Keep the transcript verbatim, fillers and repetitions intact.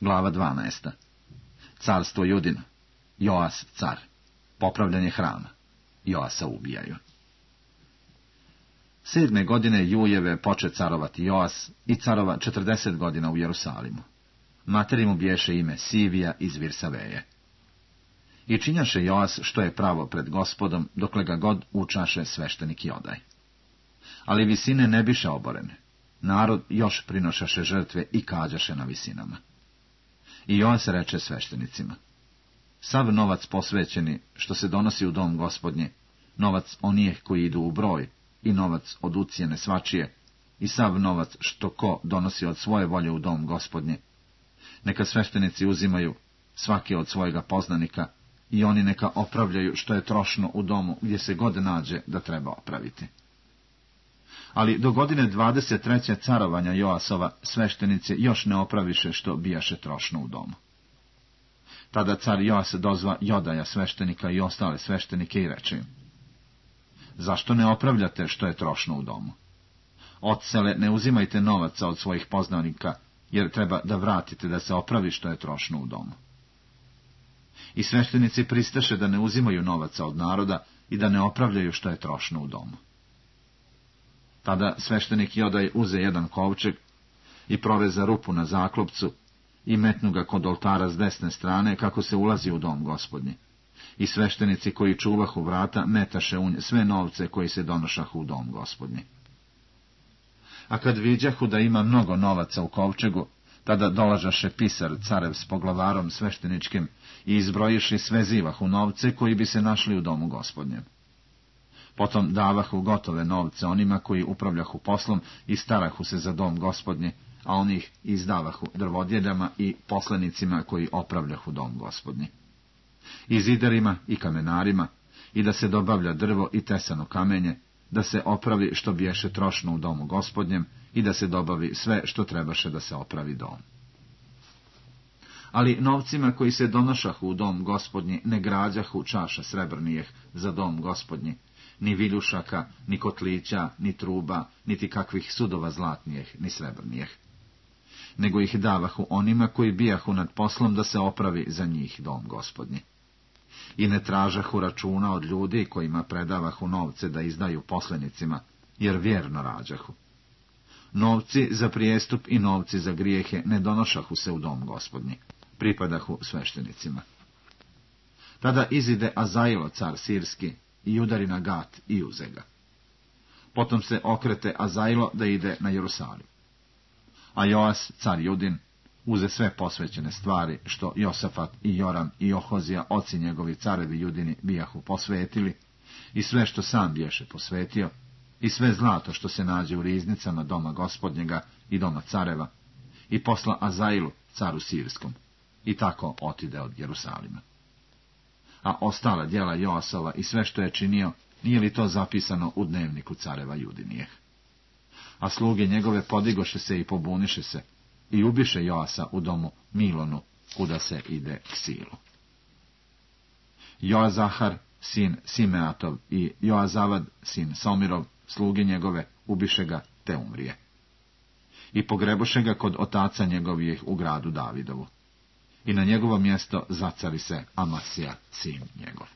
Glava dvanaesta. Carstvo Judino. Joas car. Popravljanje hrama. Joasa ubijaju. Sedme godine Jujeve poče carovati Joas i carova četrdeset godina u Jerusalimu. Materi mu biješe ime Sivija iz Virsaveje. I činjaše Joas što je pravo pred Gospodom, dokle ga god učaše sveštenik Jodaj. Ali visine ne biše oborene. Narod još prinošaše žrtve i kađaše na visinama. I Joas reče sveštenicima: sav novac posvećeni što se donosi u dom Gospodnje, novac onijeh koji idu u broj, i novac od ucijene svačije, i sav novac što ko donosi od svoje volje u dom Gospodnje, neka sveštenici uzimaju svaki od svojega poznanika, i oni neka opravljaju što je trošno u domu gdje se god nađe da treba opraviti. Ali do godine dvadeset treće carovanja Joasova sveštenice još ne opraviše što bijaše trošno u domu. Tada car Joas dozva Jodaja sveštenika i ostale sveštenike i reče im: zašto ne opravljate što je trošno u domu? Odsele ne uzimajte novaca od svojih poznanika, jer treba da vratite da se opravi što je trošno u domu. I sveštenici pristaše da ne uzimaju novaca od naroda i da ne opravljaju što je trošno u domu. Tada sveštenik Jodaj uze jedan kovčeg i proveza rupu na zaklopcu i metnu ga kod oltara s desne strane kako se ulazi u dom Gospodnji. I sveštenici koji čuvahu vrata metaše u nje sve novce koji se donošahu u dom Gospodnji. A kad viđahu da ima mnogo novaca u kovčegu, tada dolažaše pisar carev s poglavarom svešteničkim i izbrojiši sve zivahu novce koji bi se našli u domu Gospodnjem. Potom davahu gotove novce onima koji upravljahu poslom i starahu se za dom Gospodnje, a onih izdavahu drvodjeljama i poslenicima koji opravljahu dom Gospodnji. I zidarima i kamenarima, i da se dobavlja drvo i tesano kamenje, da se opravi što biješe trošno u domu Gospodnjem i da se dobavi sve što trebaše da se opravi dom. Ali novcima koji se donošahu u dom Gospodnji ne građahu čaša srebrnijeh za dom Gospodnji, ni viljušaka, ni kotlića, ni truba, niti kakvih sudova zlatnijeh, ni srebrnijeh. Nego ih davahu onima koji bijahu nad poslom da se opravi za njih dom Gospodnji. I ne tražahu računa od ljudi kojima predavahu novce da izdaju poslenicima, jer vjerno rađahu. Novci za prijestup i novci za grijehe ne donošahu se u dom Gospodnji, pripadahu sveštenicima. Tada izide Azailo car sirski i udari na Gat i uze ga. Potom se okrete Azailo da ide na Jerusalim. A Joas car Judin uze sve posvećene stvari što Josafat i Joram i Ohozija, oci njegovi carevi Judini, bijahu posvetili, i sve što sam biješe posvetio, i sve zlato što se nađe u riznicama doma Gospodnjega i doma careva, i posla Azailu caru sirskom, i tako otide od Jerusalima. A ostala djela Joasova i sve što je činio, nije li to zapisano u dnevniku careva Judinijeh? A sluge njegove podigoše se i pobuniše se, i ubiše Joasa u domu Milonu, kuda se ide k Silu. Joazahar, sin Simeatov, i Joazavad, sin Somirov, sluge njegove, ubiše ga te umrije. I pogreboše ga kod otaca njegovih u gradu Davidovu. I na njegovo mjesto zacari se Amasija, sin njegov.